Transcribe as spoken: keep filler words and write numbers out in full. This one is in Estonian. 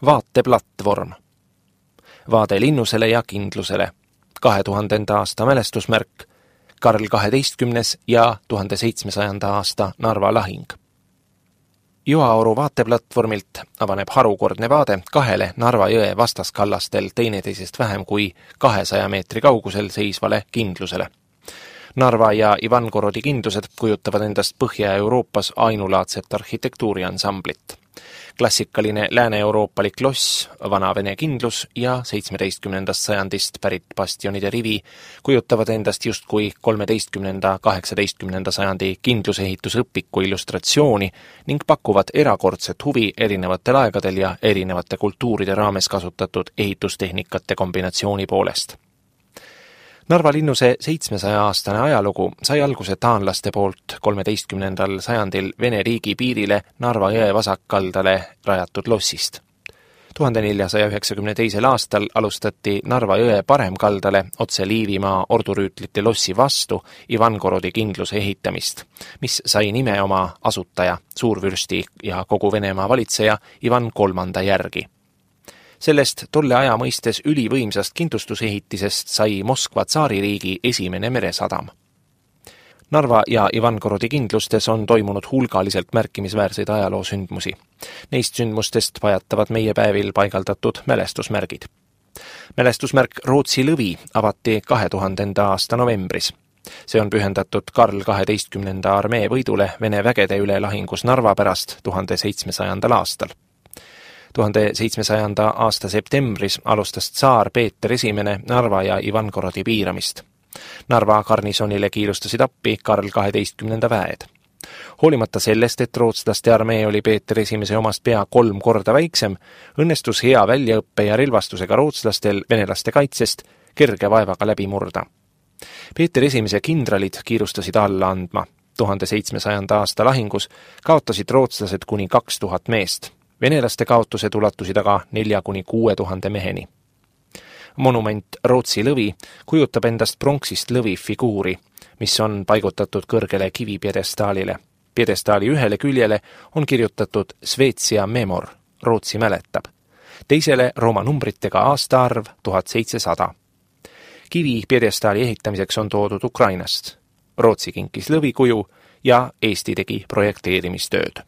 Vaateplatvorm. Vaade linnusele ja kindlusele. kahe tuhandenda aasta mälestusmärk, Karl kaheteistkümnes ja tuhande seitsmesajanda aasta Narva lahing. Joaoru vaateplatvormilt avaneb harukordne vaade kahele Narva jõe vastaskallastel teineteisest vähem kui kahesaja meetri kaugusel seisvale kindlusele. Narva ja Ivangorodi kindlused kujutavad endast Põhja-Euroopas ainulaadset arhitektuuriansamblit. Klassikaline lääne-euroopalik loss, vana vene kindlus ja seitsmeteistkümnendast sajandist pärit bastionide rivi kujutavad endast justkui kolmeteistkümnenda kaheksateistkümnenda sajandi kindlusehitusõpiku illustratsiooni ning pakuvad erakordset huvi erinevatel aegadel ja erinevate kultuuride raames kasutatud ehitustehnikate kombinatsiooni poolest. Narva linnuse seitsmesaja-aastane ajalugu sai alguse taanlaste poolt kolmeteistkümnendal sajandil Vene riigi piirile Narva jõe vasakkaldale rajatud lossist. tuhande neljasaja üheksakümne teisel aastal alustati Narva jõe paremkaldale otse Liivimaa ordurüütlite lossi vastu Ivangorodi kindluse ehitamist, mis sai nime oma asutaja, suurvürsti ja kogu Venemaa valitseja Ivan kolmanda järgi. Sellest tolle aja mõistes ülivõimsast kindlustusehitisest sai Moskva tsaaririigi esimene meresadam. Narva ja Ivangorodi kindlustes on toimunud hulgaliselt märkimisväärseid ajaloosündmusi. Neist sündmustest pajatavad meie päevil paigaldatud mälestusmärgid. Mälestusmärk Rootsi lõvi avati kahe tuhandenda aasta novembris. See on pühendatud Karl kaheteistkümnenda armee võidule Vene vägede üle lahingus Narva pärast tuhande seitsmesajandal aastal. tuhande seitsmesajanda aasta septembris alustas tsaar Peeter esimene Narva ja Ivangorodi piiramist. Narva garnisonile kiirustasid appi Karl kaheteistkümnenda väed. Hoolimata sellest, et rootslaste armee oli Peeter esimese omast pea kolm korda väiksem, õnnestus hea väljaõppe ja relvastusega rootslastel venelaste kaitsest kerge vaevaga läbi murda. Peeter esimese kindralid kiirustasid alla andma. tuhande seitsmesajanda aasta lahingus kaotasid rootslased kuni kaks tuhat meest. Venelaste kaotused ulatusid aga nelja kuni kuue tuhande meheni. Monument Rootsi lõvi kujutab endast pronksist lõvi figuuri, mis on paigutatud kõrgele kivipjedestaalile. Pjedestaali ühele küljele on kirjutatud Svetsia Memor, Rootsi mäletab. Teisele Rooma numbritega aastaarv tuhat seitsesada. Kivi pjedestaali ehitamiseks on toodud Ukrainast. Rootsi kinkis lõvikuju ja Eesti tegi projekteerimistööd.